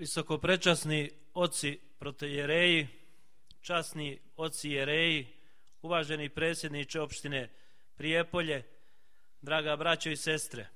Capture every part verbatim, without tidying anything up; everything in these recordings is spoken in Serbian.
Visokoprečasni oci protojereji, časni oci jereji, uvaženi predsjedniče opštine Prijepolje, draga braćo i sestre.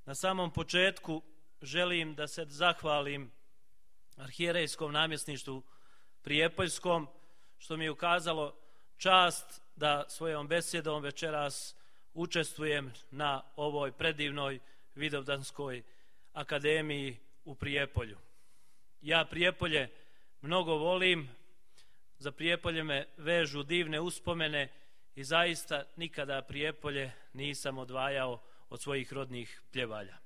Na samom početku želim da se zahvalim arhijerejskom namjesništvu Prijepoljskom, što mi je ukazalo čast da svojom besjedom večeras učestvujem na ovoj predivnoj Vidovdanskoj akademiji u Prijepolju. Ja Prijepolje mnogo volim, za Prijepolje me vežu divne uspomene i zaista nikada Prijepolje nisam odvajao od svojih rodnih pljevalja.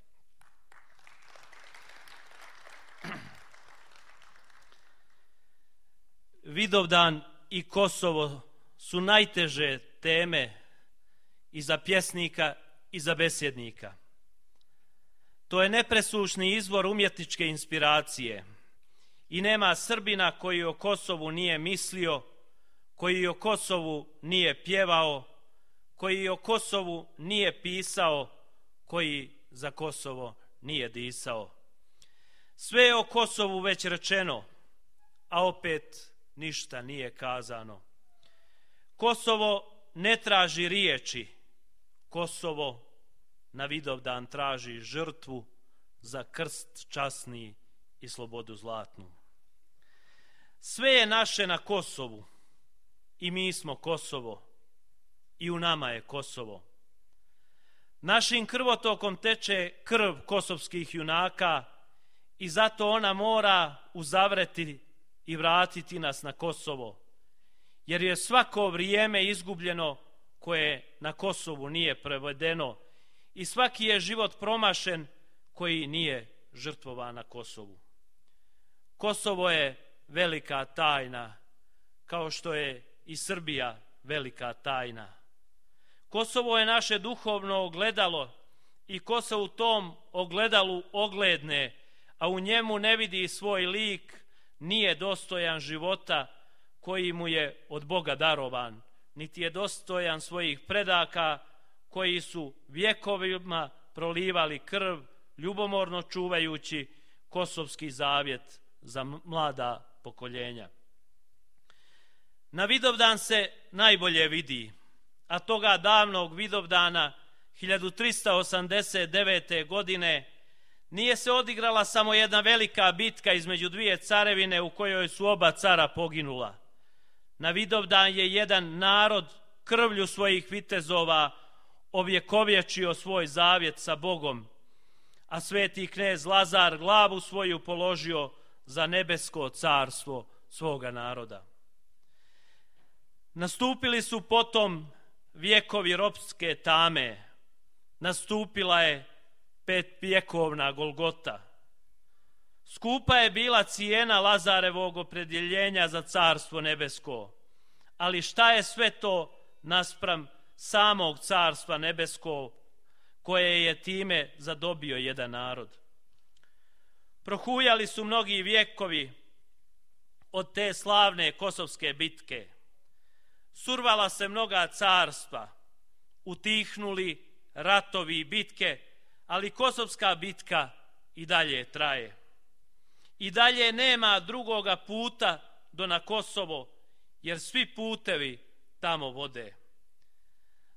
Vidovdan i Kosovo su najteže teme i za pjesnika i za besjednika. To je nepresušni izvor umjetničke inspiracije i nema Srbina koji o Kosovu nije mislio, koji o Kosovu nije pjevao, koji o Kosovu nije pisao, koji za Kosovo nije disao. Sve je o Kosovu već rečeno, a opet ništa nije kazano. Kosovo ne traži riječi, Kosovo na Vidovdan traži žrtvu za krst časni i slobodu zlatnu. Sve je naše na Kosovu i mi smo Kosovo i u nama je Kosovo. Našim krvotokom teče krv kosovskih junaka i zato ona mora uzavreti i vratiti nas na Kosovo, jer je svako vrijeme izgubljeno koje na Kosovu nije prevedeno i svaki je život promašen koji nije žrtvovan na Kosovu. Kosovo je velika tajna, kao što je i Srbija velika tajna. Kosovo je naše duhovno ogledalo i ko se u tom ogledalu ogledne, a u njemu ne vidi svoj lik, nije dostojan života koji mu je od Boga darovan, niti je dostojan svojih predaka koji su vjekovima prolivali krv, ljubomorno čuvajući kosovski zavjet za mlada pokoljenja. Na Vidovdan se najbolje vidi, a toga davnog Vidovdana hiljadu trista osamdeset devete. godine nije se odigrala samo jedna velika bitka između dvije carevine u kojoj su oba cara poginula. Na Vidovdan je jedan narod krvlju svojih vitezova ovjekovječio svoj zavjet sa Bogom, a sveti knez Lazar glavu svoju položio za nebesko carstvo svoga naroda. Nastupili su potom vjekovi ropske tame, nastupila je petvjekovna Golgota. Skupa je bila cijena Lazarevog opredjeljenja za carstvo nebesko, ali šta je sve to naspram samog carstva nebeskog koje je time zadobio jedan narod? Prohujali su mnogi vjekovi od te slavne kosovske bitke. Survala se mnoga carstva, utihnuli ratovi i bitke, ali kosovska bitka i dalje traje. I dalje nema drugoga puta do na Kosovo, jer svi putevi tamo vode.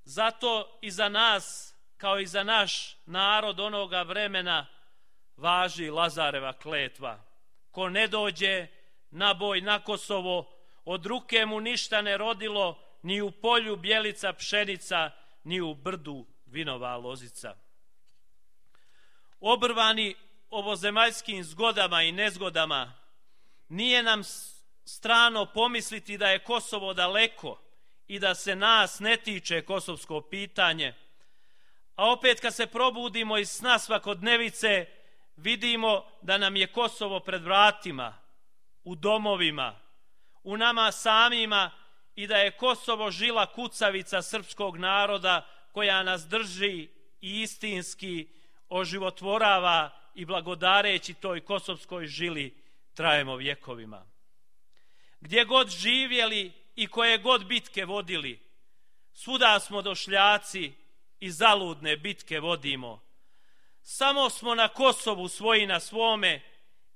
Zato i za nas, kao i za naš narod onoga vremena, važi Lazareva kletva. Ko ne dođe na boj na Kosovo, od ruke mu ništa ne rodilo, ni u polju bjelica pšenica, ni u brdu vinova lozica. Obrvani ovozemaljskim zgodama i nezgodama, nije nam strano pomisliti da je Kosovo daleko i da se nas ne tiče kosovsko pitanje, a opet kad se probudimo iz sna svakodnevice, vidimo da nam je Kosovo pred vratima, u domovima, u nama samima i da je Kosovo žila kucavica srpskog naroda koja nas drži i istinski oživotvorava i blagodareći toj kosovskoj žili trajemo vjekovima. Gdje god živjeli i koje god bitke vodili, svuda smo došljaci i zaludne bitke vodimo. Samo smo na Kosovu svoji na svome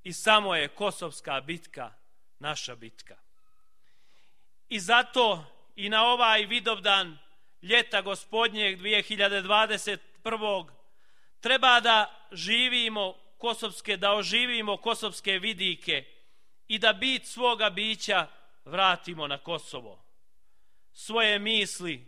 i samo je kosovska bitka naša bitka. I zato i na ovaj Vidovdan ljeta gospodnjeg dvije hiljade dvadeset prvog treba da živimo kosovske, da oživimo kosovske vidike i da bit svoga bića vratimo na Kosovo. Svoje misli,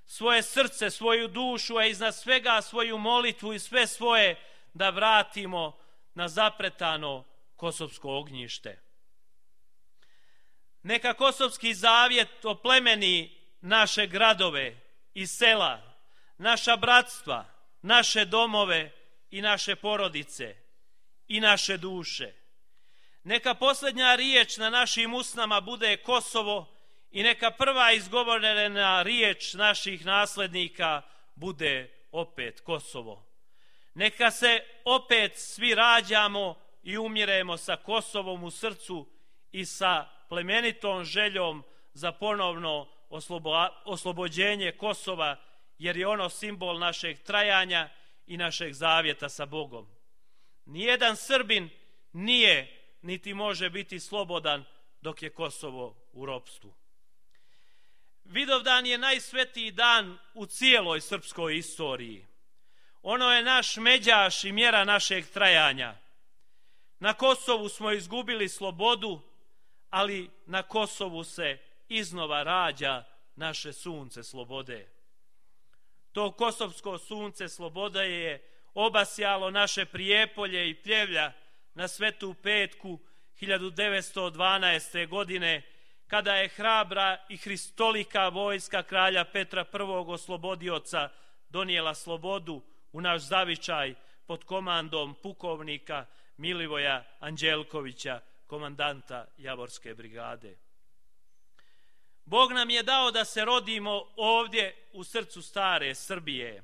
svoje srce, svoju dušu, a iznad svega svoju molitvu i sve svoje da vratimo na zapretano kosovsko ognjište. Neka kosovski zavjet oplemeni naše gradove i sela, naša bratstva, naše domove i naše porodice i naše duše. Neka posljednja riječ na našim usnama bude Kosovo i neka prva izgovorena riječ naših naslednika bude opet Kosovo. Neka se opet svi rađamo i umiremo sa Kosovom u srcu i sa plemenitom željom za ponovno oslobo, oslobođenje Kosova, jer je ono simbol našeg trajanja i našeg zavjeta sa Bogom. Nijedan Srbin nije niti može biti slobodan dok je Kosovo u ropstvu. Vidovdan je najsvetiji dan u cijeloj srpskoj istoriji. Ono je naš međaš i mjera našeg trajanja. Na Kosovu smo izgubili slobodu, ali na Kosovu se iznova rađa naše sunce slobode. To kosovsko sunce slobode je obasjalo naše Prijepolje i Pljevlja na Svetu petku hiljadu devetsto dvanaeste. godine, kada je hrabra i hristolika vojska kralja Petra prvog oslobodioca donijela slobodu u naš zavičaj pod komandom pukovnika Milivoja Anđelkovića, komandanta Javorske brigade. Bog nam je dao da se rodimo ovdje u srcu stare Srbije,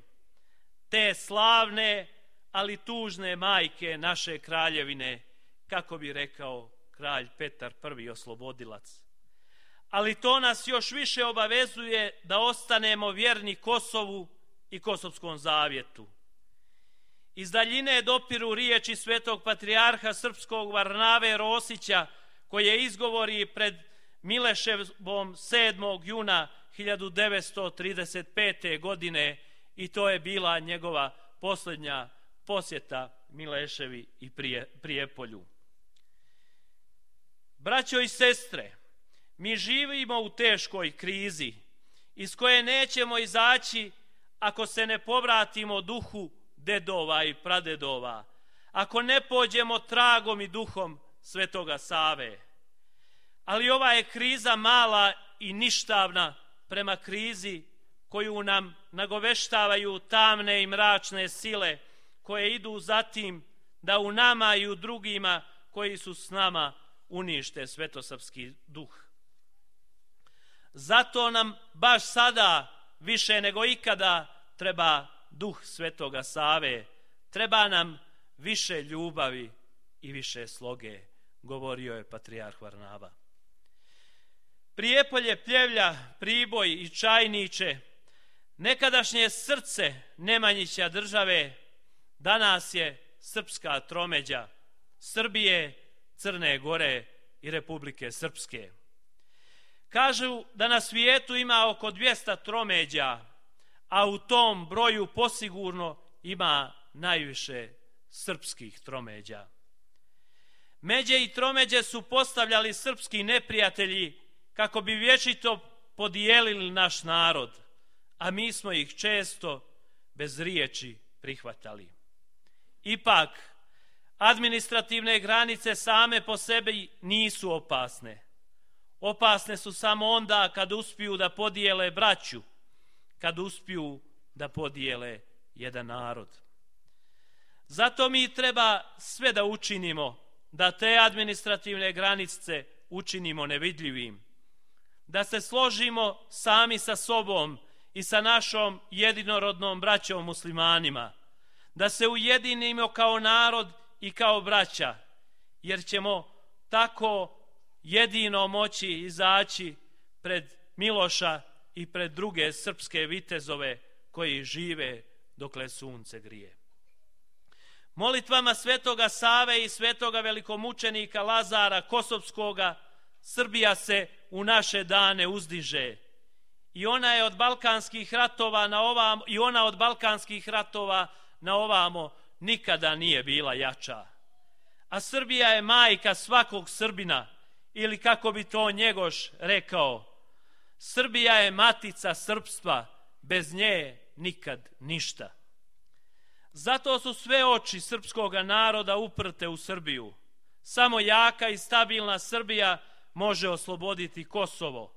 te slavne, ali tužne majke naše kraljevine, kako bi rekao kralj Petar prvi oslobodilac. Ali to nas još više obavezuje da ostanemo vjerni Kosovu i Kosovskom zavjetu. Iz daljine dopiru riječi svetog patrijarha srpskog Varnave Rosića, koje izgovori pred Mileševom sedmog juna hiljadu devetsto trideset pete. godine, i to je bila njegova posljednja posjeta Mileševi i Prijepolju. Braćo i sestre, mi živimo u teškoj krizi iz koje nećemo izaći ako se ne povratimo duhu dedova i pradedova, ako ne pođemo tragom i duhom Svetoga Save. Ali ova je kriza mala i ništavna prema krizi koju nam nagoveštavaju tamne i mračne sile koje idu za tim da u nama i u drugima koji su s nama unište svetosrpski duh. Zato nam baš sada više nego ikada treba duh Svetoga Save, treba nam više ljubavi i više sloge, govorio je patrijarh Varnava. Prijepolje, Pljevlja, Priboj i Čajniče, nekadašnje srce Nemanjića države, danas je srpska tromeđa Srbije, Crne Gore i Republike Srpske. Kažu da na svijetu ima oko dvjesto tromeđa, a u tom broju posigurno ima najviše srpskih tromeđa. Međe i tromeđe su postavljali srpski neprijatelji kako bi vječito podijelili naš narod, a mi smo ih često bez riječi prihvatali. Ipak, administrativne granice same po sebi nisu opasne. Opasne su samo onda kad uspiju da podijele braću, kad uspiju da podijele jedan narod. Zato mi treba sve da učinimo da te administrativne granice učinimo nevidljivim, da se složimo sami sa sobom i sa našom jedinorodnom braćom muslimanima, da se ujedinimo kao narod i kao braća, jer ćemo tako jedino moći izaći pred Miloša i pred druge srpske vitezove koji žive dokle sunce grije. Molitvama svetoga Save i svetoga velikomučenika Lazara Kosovskoga Srbija se u naše dane uzdiže. I ona je od balkanskih ratova na ovamo, i ona od balkanskih ratova na ovamo nikada nije bila jača. A Srbija je majka svakog Srbina, ili kako bi to Njegoš rekao, Srbija je matica srpstva, bez nje nikad ništa. Zato su sve oči srpskog naroda uprte u Srbiju. Samo jaka i stabilna Srbija može osloboditi Kosovo,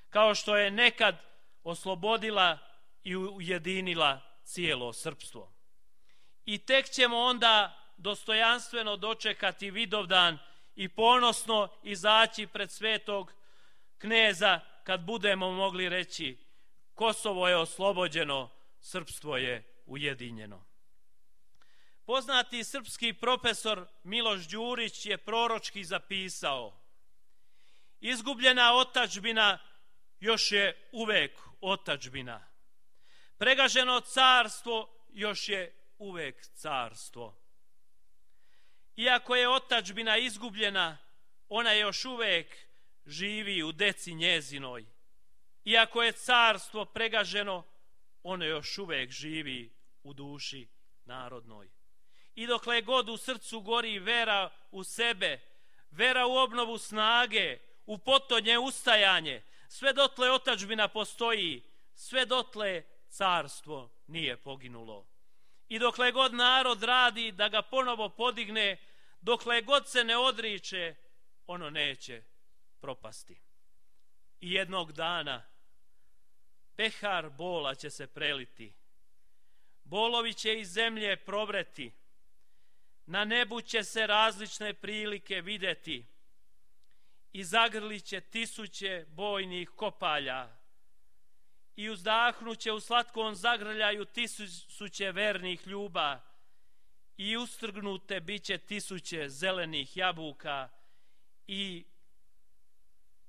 kao što je nekad oslobodila i ujedinila cijelo srpstvo. I tek ćemo onda dostojanstveno dočekati Vidovdan i ponosno izaći pred svetog kneza kad budemo mogli reći: Kosovo je oslobođeno, srpstvo je ujedinjeno. Poznati srpski profesor Miloš Đurić je proročki zapisao: izgubljena otadžbina još je uvek otadžbina. Pregaženo carstvo još je uvek carstvo. Iako je otadžbina izgubljena, ona još uvek živi u deci njezinoj. Iako je carstvo pregaženo, ono još uvek živi u duši narodnoj. I dokle god u srcu gori vera u sebe, vera u obnovu snage, u potonje ustajanje, sve dotle otadžbina postoji, sve dotle carstvo nije poginulo. I dokle god narod radi da ga ponovo podigne, dokle god se ne odriče, ono neće propasti. I jednog dana pehar bola će se preliti, bolovi će iz zemlje provreti, na nebu će se različne prilike videti i zagrlit će tisuće bojnih kopalja i uzdahnuće u slatkom zagrljaju tisuće vernih ljuba i ustrgnute biće tisuće zelenih jabuka i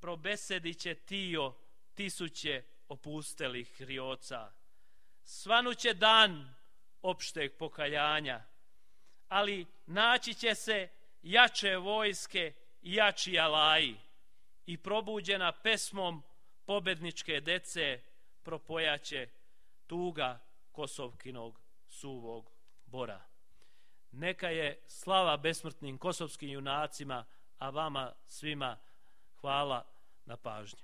probesedit će tio tisuće opustelih rioca. Svanuće dan opšteg pokajanja, ali naći će se jače vojske i jači alaji i probuđena pesmom pobedničke dece propojaće tuga Kosovkinog suvog bora. Neka je slava besmrtnim kosovskim junacima, a vama svima hvala na pažnji.